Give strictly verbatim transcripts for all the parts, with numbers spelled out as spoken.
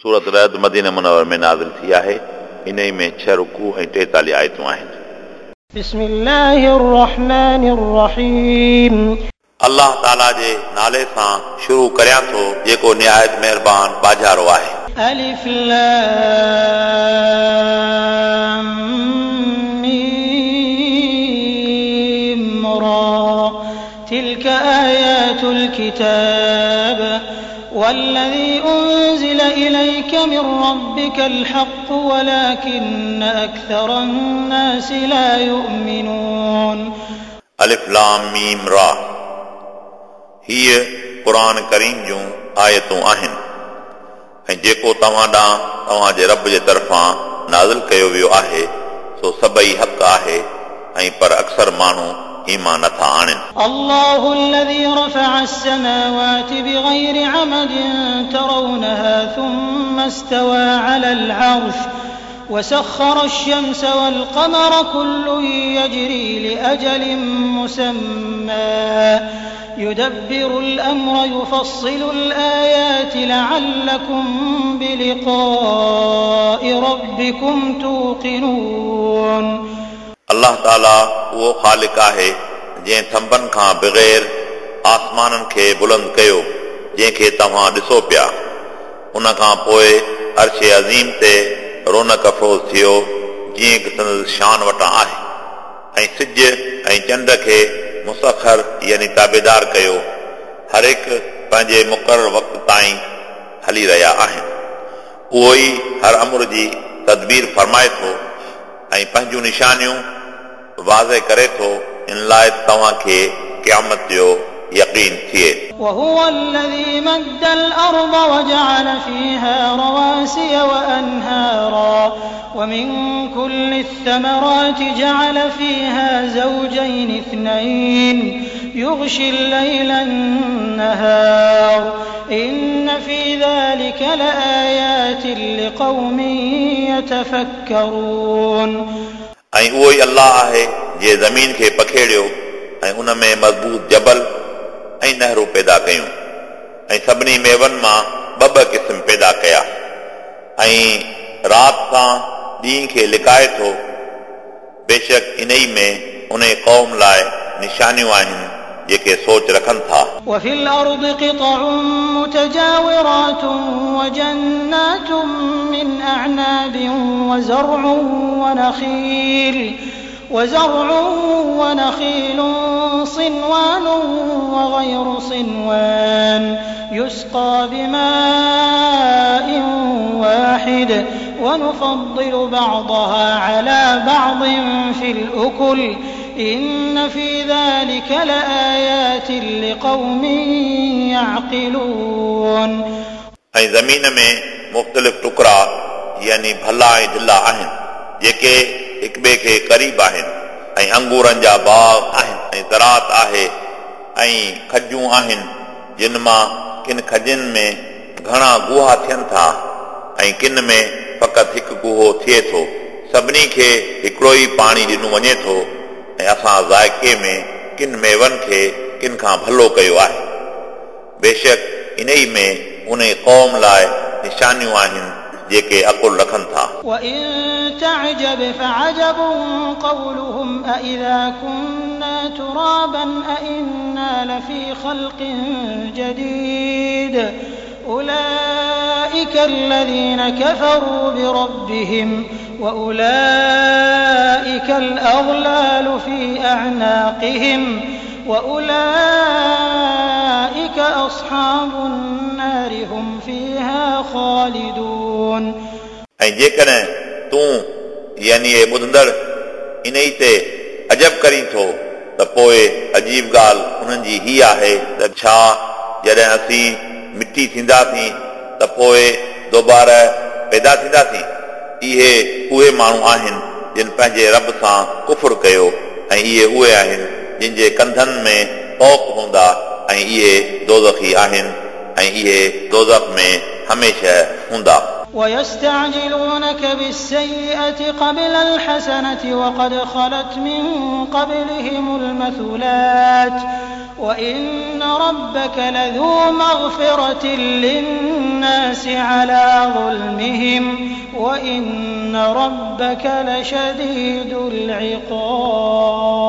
सूरत रद मदीना मुनव्वर में नाज़िल थी आहे। इन्हई में छह रुकू ऐं टेतालीह आयतूं आहिनि। बिस्मिल्लाहिर रहमानिर रहीम। अल्लाह ताला जे नाले सां शुरू करियां थो जेको निहायत महिरबान बाजारो आहे। अलिफ लाम मीम रा तिलक आयातुल किताब वल्लज़ी उन्ज़िल इलैक मिन रब्बिकल हक़्क़ वलाकिन्न अक्सरन नासि ला युमिनून। अलिफ लाम मीम रा हीअ क़ुर करीम जूं आयतूं आहिनि ऐं जेको तव्हां ॾांहुं तव्हांजे रब जे तरफ़ां नाज़िल कयो वियो आहे सो सभई हक़ आहे ऐं पर अक्सर माण्हू ईमान नथा आणनि। अल्लाहु अल्लज़ी रफ़अ अस्समावाति बिग़ैरि अमदिन तरौनहा थुम्मा इस्तवा अलल अर्श वसख़्ख़र अश-शम्स वल-क़मर कुल्लुन यजरी लिअजलिन मुसम्मा युदब्बिरुल अम्र युफ़स्सिलुल आयाति लअल्लकुम बिलिक़ाइ रब्बिकुम तूक़िनून। अल्लाह ताला उहो ख़ालिक़ आहे जंहिं थंबनि खां बग़ैर आसमाननि खे बुलंद कयो जंहिंखे तव्हां ॾिसो पिया। उन खां पोइ अर्श अज़ीम ते रौनक अफ़रोज़ थियो जीअं की संदसि शान वटां आहे ऐं सिज ऐं चंड खे मुसखर यानी ताबेदार कयो। हर हिकु पंहिंजे मुक़ररु वक़्त ताईं हली रहिया आहिनि। उहो ई हर अमर जी तदबीर फरमाए थो ऐं पंहिंजूं निशानियूं वाज़े करे थो इन लाइ तव्हांखे क़यामत जो यकीन थिए। वहुव अल्लज़ी मद्दल अर्ज़ वजअल फ़ीहा रवासिय वअनहारा वमिन कुल्लि त्थमराति जअल फ़ीहा ज़ौजैन इत्नैन युग़शिल लैल अन्नहार इन्न फ़ी ज़ालिका लआयातिन लिक़ौमिन यतफ़क्करून। ऐं उहो ई अल्लाह आहे जंहिं ज़मीन खे पखेड़ियो ऐं उन में मज़बूत जबल ऐं नहरूं पैदा कयूं ऐं सभिनी मेवनि मां ॿ ॿ क़िस्म पैदा कया ऐं राति सां ॾींहं खे लिकाए थो। बेशक इन ई में उन क़ौम लाइ निशानियूं आहिनि जेके सोच रखनि था। वफ़िल अर्ज़ि क़ितउन मुतजाविरातुन वजन्नातुन मिन अअनाबिन वज़रउन वनख़ील वज़रउन वनख़ीलुन सिनवान वग़ैरु सिनवान युस्क़ा बिमाइन वाहिद वनुफ़द्दिलु बअदहा अला बअदिन फ़िल उकुल इन्न फ़ी ज़ालिका लआयातिन लिक़ौमिन यअक़िलून। ऐं ज़मीन में मुख़्तलिफ़ टुकड़ा यानी भला ऐं ढिला आहिनि जेके हिक ॿिए खे क़रीब आहिनि ऐं अंगूरनि जा बाग़ आहिनि ऐं ज़राअत आहे ऐं खजूं आहिनि जिन मां किन खजनि में घणा गुहा थियनि था ऐं किन में फ़क़ति हिकु गुहो थिए थो। सभिनी खे हिकिड़ो ई पाणी ॾिनो वञे थो ऐं असां ज़ाइक़े में किन मेवनि खे किन खां भलो कयो आहे। बेशक इन ई में उन क़ौम लाइ निशानियूं आहिनि जेके अकुल रखनि था। वइन तअजब फअजब क़ौलुहुम अइज़ा कुन्ना तुराबन अइन्ना लफ़ी ख़ल्क़िन जदीद उलाइक अल्लज़ीना कफ़रू बिरब्बिहिम वउलाइक अल-अग़लालु फ़ी अअनाक़िहिम वउलाइक अस्हाबुन नार हुम फ़ीहा ख़ालिदून। ऐं जेकॾहिं तूं यानी ए ॿुधंदड़ इन ई ते अजब करीं थो त पोइ अजीब ॻाल्हि उन्हनि जी हीअ आहे त छा जॾहिं असीं मिटी थींदासीं त पोइ दोबारा पैदा थींदासीं। इहे उहे माण्हू आहिनि जिन पंहिंजे रब सां कुफुर कयो ऐं इहे उहे आहिनि जिन जे कंधनि में तौक हूंदा ऐं इहे दोज़खी आहिनि ऐं इहे दोज़ख में हमेशह हूंदा। ويستعجلونك بالسيئة قبل الحسنة وقد خلت من قبلهم المثلات وإن ربك لذو مغفرة للناس على ظلمهم وإن ربك لشديد العقاب.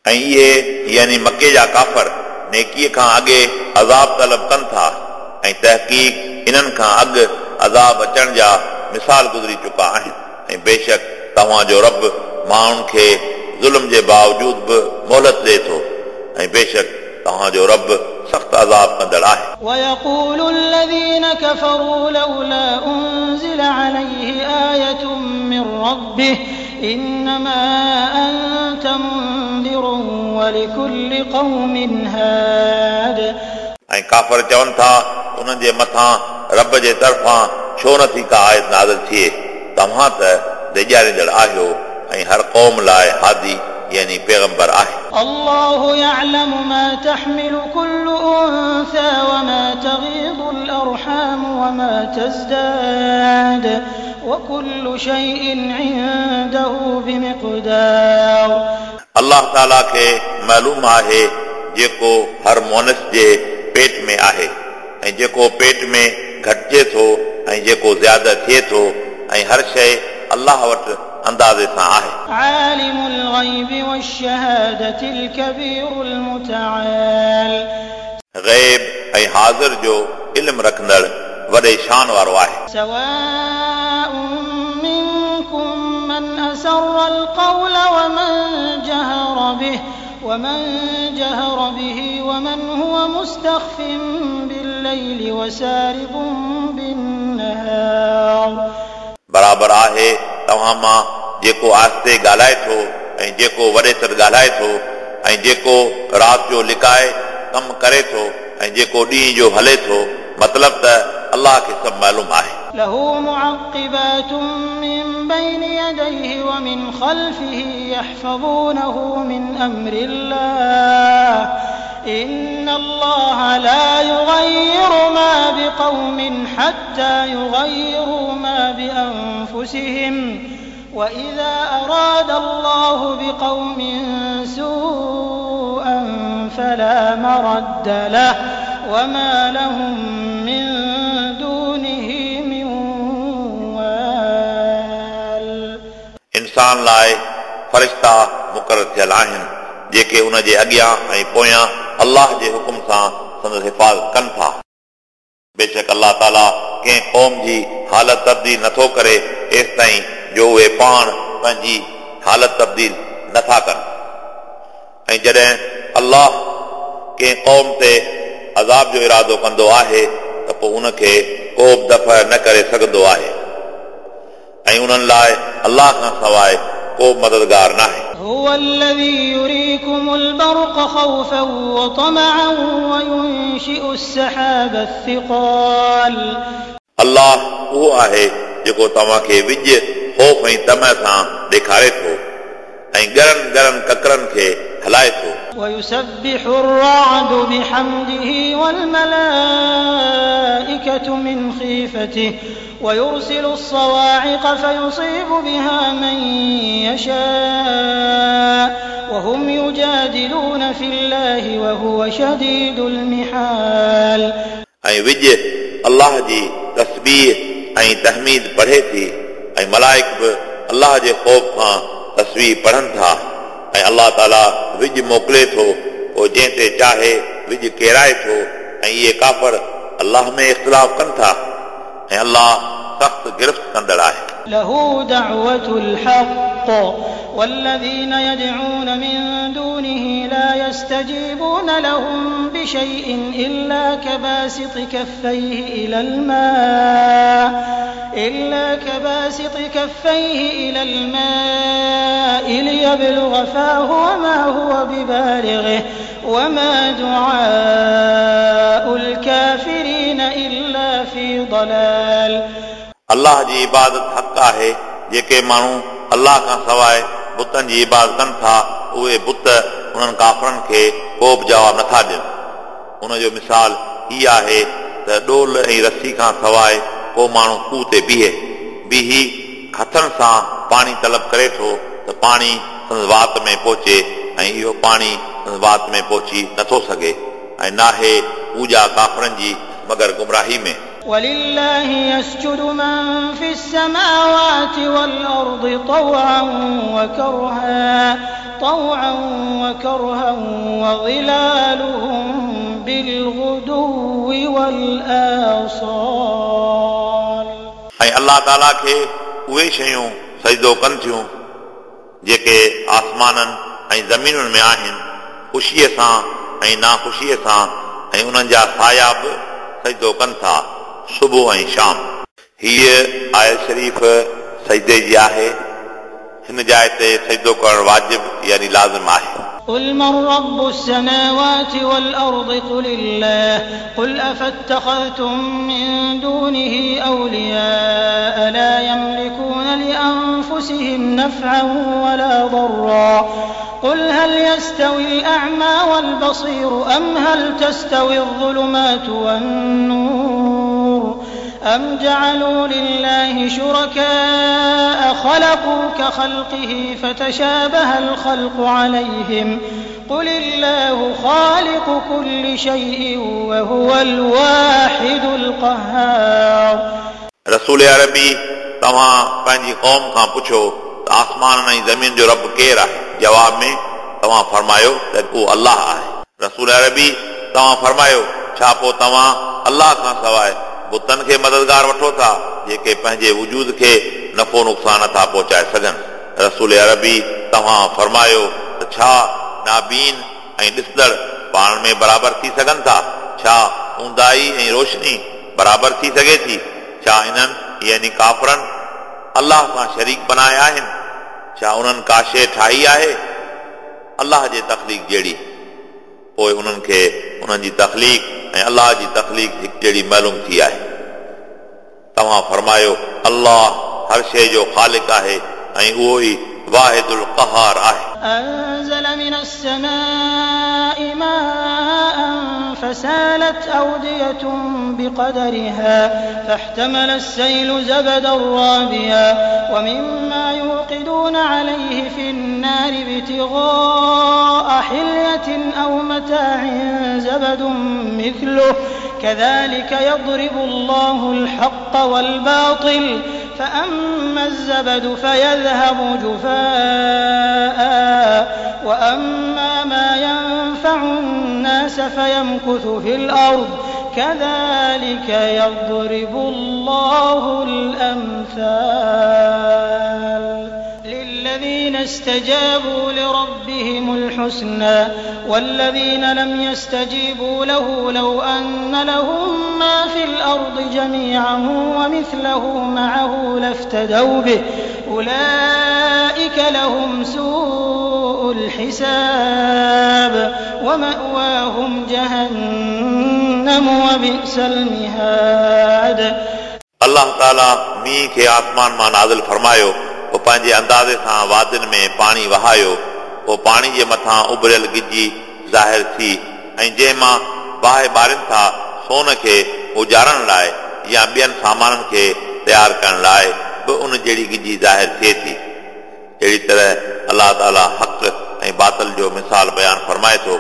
ऐं इहे यानी मके जा काफ़र नेकीअ खां अॻे अज़ाब तलब कनि था ऐं तहक़ीक़ इन्हनि खां अॻु अज़ाब अचण जा मिसाल गुज़री चुका आहिनि ऐं बेशक तव्हांजो रब माण्हुनि खे ज़ुल्म जे बावजूद बि मोहलत ॾिए थो ऐं बेशक तव्हांजो रब सख़्तु अज़ाब कंदड़ आहे. ويقول الذين كفروا لولا أنزل عليه آية من ربه إنما أنت منذر ولكل قوم هاد. ऐं काफ़र चवनि था उन्हनि जे मथां रब जे तरफ़ां छो नथी का आयत नाज़िल थिए, तव्हां त ॾेॼारींदड़ आहियो ऐं हर क़ौम लाइ हादी यानी पैगंबर आहे. الله يعلم ما تحمل كل أنثى وما تغيض الأرحام وما تزداد وكل شيء عنده بمقدار. अल्लाह ताला खे मालूम आहे जेको हर मुअनिस जे पेट में आहे ऐं जेको पेट में घटिजे थो ऐं जेको ज़्यादा थिए थो ऐं हर शइ अल्लाह वटि अंदाज़े सां आहे. عالم الغيب والشهادة الكبير المتعال. ग़ैब ऐं हाज़िर जो इल्म रखंदड़ वॾे शान वारो आहे. سواء منكم من أسر القول ومن جهر به ومن جهر به ومن هو مستخف بالليل وسارب بالنهار. बराबर आहे तव्हां मां जेको आहिस्ते ॻाल्हाए थो ऐं जेको वॾे सॾ ॻाल्हाए थो ऐं जेको राति जो लिकाए कमु करे थो ऐं जेको ॾींहुं जो हले थो, मतिलबु त अल्लाह खे सभु मालूम आहे. له معقبات من بين يديه ومن خلفه يحفظونه من أمر الله إن الله لا يغير ما بقوم حتى يغيروا ما بأنفسهم وإذا أراد الله بقوم سوءا فلا مرد له وما لهم من دونه من وال. इंसान लाइ फ़रिश्ता मुक़ररु थियल आहिनि जेके उन जे अॻियां ऐं पोयां अल्लाह जे हुकुम सां संदसि हिफ़ाज़त कनि था. बेशक अल्लाह ताला कंहिं क़ौम जी हालत तब्दील नथो करे एसि ताईं जो उहे पाण पंहिंजी हालत तब्दील नथा कनि. ऐं जॾहिं अल्लाह कंहिं क़ौम ते अज़ाब जो इरादो कंदो आहे त पोइ उनखे को बि दफ़ा न करे सघंदो आहे ऐं उन्हनि लाइ अल्लाह खां सवाइ को बि मददगार न आहे. هو الذي يريكم البرق خوفا وطمعا وينشئ السحاب الثقال. अल्लाह उहो आहे जेको तव्हांखे विज ख़ौफ़ ऐं तम सां ॾेखारे थो ऐं ॻरनि ॻरनि ककरनि खे हलाए थो. ويسبح الرعد بحمده والملائكة من خيفته ويرسل الصواعق فيصيب بها من يشاء وهم يجادلون في الله وهو شديد المحال. ऐं विज अल्लाह जी तस्बीह ऐं तहमीद पढ़े थी ऐं मलाइक बि अल्लाह जे ख़ौफ़ खां तस्बीह पढ़नि था ऐं अल्लाह ताला विज मोकिले थो पोइ जंहिं ते चाहे विज केराए थो ऐं इहे काफ़र अल्लाह में इख़्तिलाफ़ कनि था ऐं अल्लाह सख़्तु गिरफ़्त कंदड़ आहे. له دعوة الحق والذين يدعون من دونه لا يستجيبون لهم بشيء إلا كباسط كفيه إلى الماء إلا كباسط كفيه إلى الماء ليبلغ فاه وما هو ببالغه وما دعاء الكافرين إلا في ضلال. अल्लाह जी इबादत हक़ आहे. जेके माण्हू अल्लाह खां सवाइ बुतनि जी इबादत कनि था उहे बुत उन्हनि काफ़रनि खे को बि जवाबु नथा ॾियनि. उनजो मिसाल हीअ आहे त ॾोल ऐं रसी खां सवाइ को माण्हू खूह ते बीहे बीही हथनि सां पाणी तलब करे थो त पाणी संदसि वात में पहुचे ऐं इहो पाणी वात में पहुची नथो सघे ऐं नाहे पूॼा काफ़रनि जी मगर गुमराही में। ولله يسجد من في السماوات والأرض طوعا وكرها طوعا وكرها وظلالهم بالغدو والآصال। ऐं अलाह ताला खे उहे शयूं सजदो कनि थियूं जेके आसमाननि ऐं ज़मीनुनि में आहिनि, ख़ुशीअ सां ऐं नाख़ुशीअ सां, ऐं उन्हनि जा साया बि सजदो कनि था सुबुह ऐं शाम। हीअ आयत शरीफ़ सजदे जी आहे। हिन जाइ ते सजदो करणु वाजिब यानी लाज़िम आहे। قل من رب السماوات والأرض قل الله قل أفاتخذتم من دونه أولياء لا يملكون لأنفسهم نفعا ولا ضرا قل هل يستوي الأعمى والبصير أم هل تستوي الظلمات والنور أم جعلوا لله شركاء خلقوا كخلقه فتشابه الخلق عليهم قل الله خالق كل شيء وهو الواحد القهار। रसूल अरबी तव्हां पंहिंजी क़ौम खां पुछो त आसमान ऐं ज़मीन जो रब केरु आहे? जवाब में तव्हां फरमायो त उहो अलाह आहे। रसूल अरबी तव्हां फरमायो छा पोइ तव्हां अलाह खां सवाइ बुतनि खे मददगार वठो था जेके पंहिंजे वजूद खे नफ़ो नुक़सान नथा पहुचाए सघनि? रसूल अरबी तव्हां फरमायो त छा नाबीन ऐं ॾिसंदड़ पाण में बराबरि थी सघनि था? छा ऊंदाई ऐं रोशनी बराबरि थी सघे थी? छा इन्हनि यानी काफ़रनि अलाह सां शरीक बनाया आहिनि? छा उन्हनि का शइ ठाही आहे अलाह जे तख़लीक़ जहिड़ी? पोइ उन्हनि खे उन्हनि जी तख़लीक़ ऐं अलाह जी तख़लीक़ हिकु जहिड़ी मालूम थी आहे। तव्हां फरमायो अलाह हर शइ जो ख़ालिक़ आहे ऐं उहो ई वाहिदुल क़हार आहे। أنزل من السماء ماء فسالت أودية بقدرها فاحتمل السيل زبدا رابيا ومما يوقدون عليه في النار ابتغاء حلية أو متاع زبد مثله كذلك يضرب الله الحق والباطل فأما الزبد فيذهب جفاء وأما ما ينفع الناس فيمكث في الأرض كذلك يضرب الله الأمثال للذين استجابوا لربهم الحسنى والذين لم يستجيبوا له لو أن لهم ما في الأرض جميعا ومثله معه لافتدوا به أولئك لهم سوء الحساب ومأواهم جهنم وبئس المهاد। अल्लाह ताला मींहुं खे आसमान मां नाज़िल फरमायो, पोइ पंहिंजे अंदाज़े सां वादियुनि में पाणी वहायो, पोइ पाणी जे मथां उभरियल गिजी ज़ाहिर थी ऐं जंहिं मां बाहि ॿारनि था सोन खे उजारण लाइ या ॿियनि सामाननि खे तयारु करण लाइ बि उन जहिड़ी गिजी ज़ाहिर थिए थी। अहिड़ी तरह अलाह ताला हक़ ऐं बातिल जो मिसाल बयानु फरमाए थो,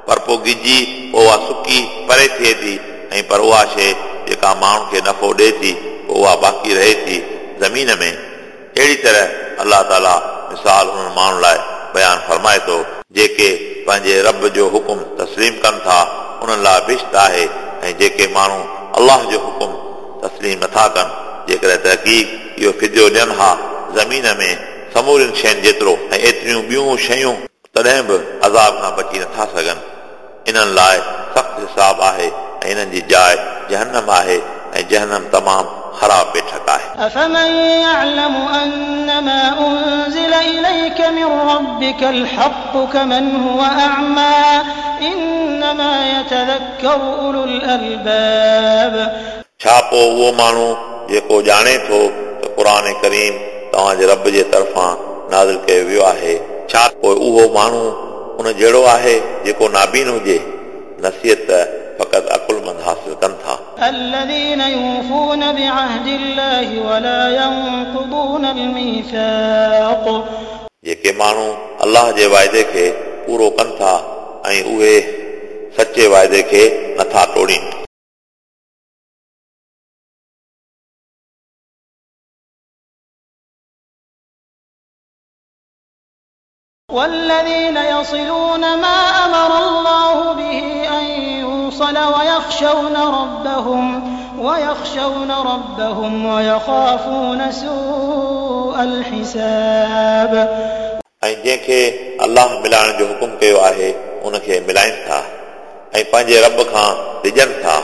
पर पोइ गिजी पोइ उहा सुकी परे थिए थी ऐं पर उहा शइ जेका माण्हुनि खे नफ़ो ॾिए थी पोइ उहा बाक़ी रहे थी ज़मीन में। अहिड़ी तरह अलाह ताला मिसाल उन्हनि माण्हुनि लाइ बयानु फरमाए थो जेके पंहिंजे रब जो हुकुम तस्लीम कनि था, उन्हनि लाइ बिश्त आहे, ऐं जेके माण्हू अलाह जो हुकुम तस्लीम नथा कनि, जेकॾहिं तहक़ीक़ इहो फिदियो ॾियनि हा ज़मीन में समूरियुनि शयुनि जेतिरो ऐं एतिरियूं ॿियूं शयूं, तॾहिं बि अज़ाब खां बची नथा सघनि। इन्हनि लाइ सख़्तु हिसाब आहे ऐं इन्हनि जी जाइ जहन्नम आहे ऐं जहन्नम तमामु ख़राब बैठक आहे। أفمن يعلم أنما أنزل إليك من ربك الحق كمن هو أعمى إنما يتذكر أولو الألباب। छा पोइ उहो माण्हू जेको ॼाणे थो त क़ुर करीम तव्हांजे रब जे तरफ़ां नाज़िल कयो वियो आहे, छा पोइ उहो माण्हू उन जहिड़ो आहे जेको नाबीन हुजे? नसीहत फ़क़ति अक़ुलमंद हासिल कनि था। الذين يوفون بعهد الله ولا ينقضون الميثاق। जेके माण्हू अलाह जे वाइदे खे पूरो कनि था ऐं उहे सचे वाइदे खे नथा टोड़ीनि। والذين يصلون ما أمر الله به أن يوصل ويخشون ربهم ويخشون ربهم ويخافون سوء الحساب। ऐं जंहिंखे अलाह मिलाइण जो हुकुम कयो आहे उनखे मिलाइनि था ऐं पंहिंजे रब खां डिॼनि था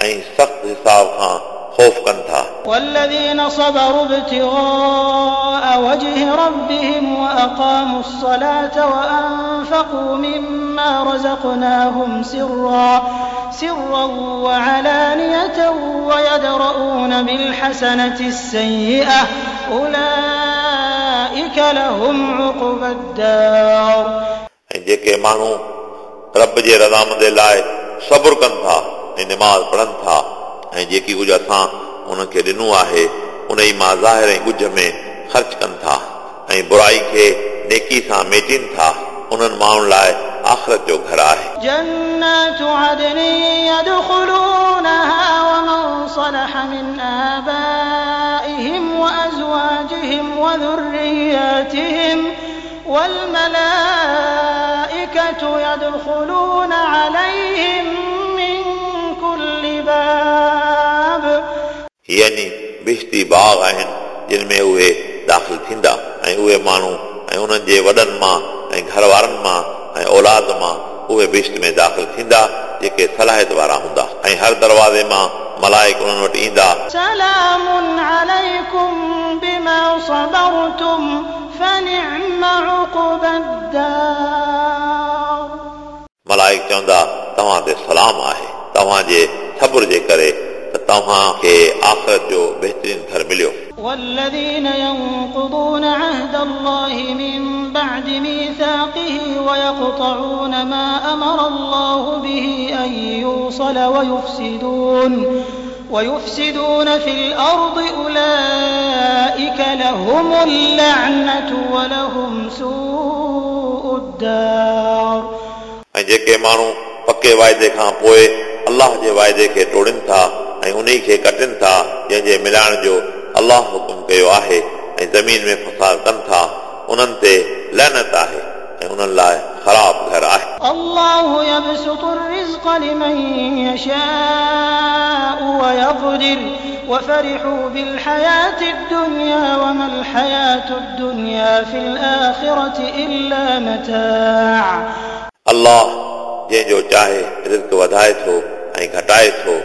ऐं सख़्त हिसाब खां ख़ौफ़ कनि था। والذين صبروا ابتغاء وجه ربهم وأقاموا الصلاة وأنفقوا مما رزقناهم سرا سرا وعلانية ويدرؤون بالحسنة السيئة أولئك لهم عقبى الدار। ऐं जेके माण्हू रब जे रज़ामंदी लाइ सब्र कनि था ऐं नमाज़ पढ़नि था ऐं जेकी कुझु असां उन्हनि खे ॾिनो आहे उन ई मां ज़ाहिर ऐं ॻुझ में ख़र्च कनि था ऐं बुराई खे नेकी सां मेटीनि था उन्हनि माण्हुनि लाइ आख़िरत जो घर आहे। जन्नात अदन यदखुलूनहा वमन सलह मिन आबाइहिम वअज़वाजिहिम वज़ुर्रिय्यातिहिम वलमलाइकतु यदखुलून अलैहिम मिन कुल्लि बाब। यानी बिश्ती बाग़ आहिनि जिन में उहे दाख़िल थींदा ऐं उहे माण्हू ऐं उन्हनि जे वॾनि मां ऐं घर वारनि मां ऐं औलाद मां उहे बिश्त में दाख़िल थींदा जेके सलाहियत वारा हूंदा ऐं हर दरवाज़े मां मलाइक उन्हनि वटि ईंदा। सलामुन अलैकुम बिमा सबरतुम फनिअम उक़बद्दार। मलाइक चवंदा तव्हां ते सलाम आहे तव्हांजे सब्र जे करे त तव्हांखे आख़िरत जो बहितरीन घर मिलियो। والذين ينقضون عهد الله من بعد ميثاقه ويقطعون ما أمر الله به أن يوصل ويفسدون ويفسدون في الأرض أولئك لهم اللعنة ولهم سوء الدار। ऐं जेके माण्हू पके वाइदे खां पोइ अलाह जे वाइदे खे टोड़नि था ऐं उन खे कटनि था जंहिंजे मिलाइण जो अलाह हुकुम कयो आहे ऐं ज़मीन में फसाद कनि था उन्हनि ते लैनत आहे ऐं उन्हनि लाइ ख़राब घर आहे। अल्लाहु यबसुतु الرزق لمن يشاء ويقدر وفرحوا بالحياة الدنيا وما الحياة الدنيا في الآخرة إلا متاع। अलाह जंहिंजो चाहे रिज़्क वधाए थो ऐं घटाए थो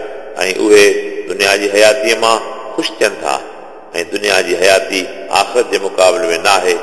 ऐं उहे दुनिया जी हयातीअ मां ख़ुशि थियनि था ऐं दुनिया जी हयाती आख़िरत जे मुक़ाबले में न आहे